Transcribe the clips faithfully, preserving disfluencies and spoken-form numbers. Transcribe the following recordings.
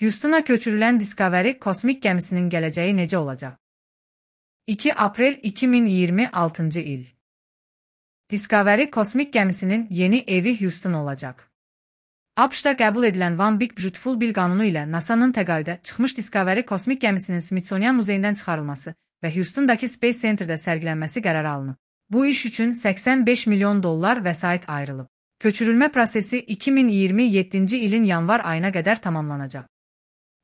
Houston'a köçürülən Discovery kosmik gəmisinin gələcəyi necə olacaq? iki aprel iki min iyirmi altıncı il. Discovery kosmik gəmisinin yeni evi Houston olacaq. ABŞ-da qəbul edilən One Big Beautiful Bill qanunu ilə NASA'nın təqaüdə çıxmış Discovery kosmik gəmisinin Smithsonian muzeyindən çıxarılması və Houston'dakı Space Center'da sərgilənməsi qərara alınıb. Bu iş üçün səksən beş milyon dollar vəsait ayrılıb. Köçürülmə prosesi iki min iyirmi yeddinci ilin yanvar ayına qədər tamamlanacaq.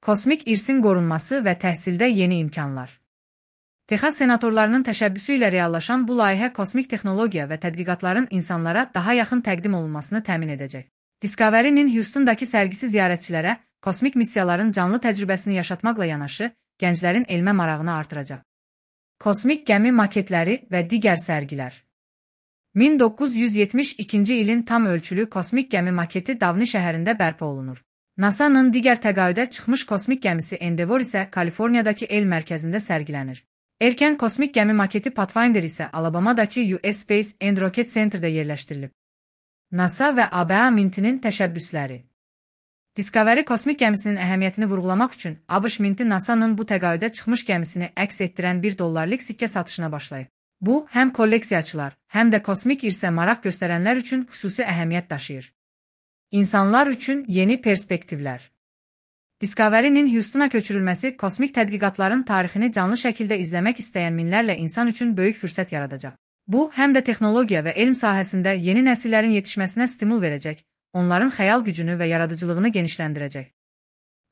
Kosmik irsin qorunması və təhsildə yeni imkanlar. Texas senatorlarının təşəbbüsü ilə reallaşan bu layihə kosmik texnologiya və tədqiqatların insanlara daha yaxın təqdim olunmasını təmin edəcək. Discovery'nin Houston'dakı sərgisi ziyarətçilərə kosmik missiyaların canlı təcrübəsini yaşatmaqla yanaşı, gənclərin elmə marağını artıracaq. Kosmik gəmi maketləri və digər sərgilər. min doqquz yüz yetmiş ikinci ilin tam ölçülü kosmik gəmi maketi Davni şəhərində bərpa olunur. NASA'nın digər təqaüdə çıxmış kosmik gəmisi Endeavour isə Kaliforniyadakı el mərkəzində sərgilənir. Erkən kosmik gəmi maketi Pathfinder isə Alabama'dakı U S Space and Rocket Center'da yerləşdirilib. NASA və A B A Mintinin təşəbbüsləri. Discovery kosmik gəmisinin əhəmiyyətini vurğulamaq üçün ABŞ Minti NASA'nın bu təqaüdə çıxmış gəmisini əks etdirən bir dollarlıq sikkə satışına başlayıb. Bu, həm kolleksiyaçılar, həm də kosmik irsə maraq göstərənlər üçün xüsusi əhəmiyyət daşıyır. İnsanlar üçün yeni perspektivlər. Discovery'nin Houston'a köçürülməsi kosmik tədqiqatların tarixini canlı şəkildə izləmək istəyən minlərlə insan üçün böyük fürsət yaradacaq. Bu, həm də texnologiya və elm sahəsində yeni nəsillərin yetişməsinə stimul verəcək, onların xəyal gücünü və yaradıcılığını genişləndirəcək.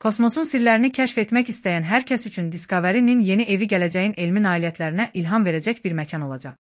Kosmosun sirlərini kəşf etmək istəyən hər kəs üçün Discovery'nin yeni evi gələcəyin elmi nailiyyətlərinə ilham verəcək bir məkan olacaq.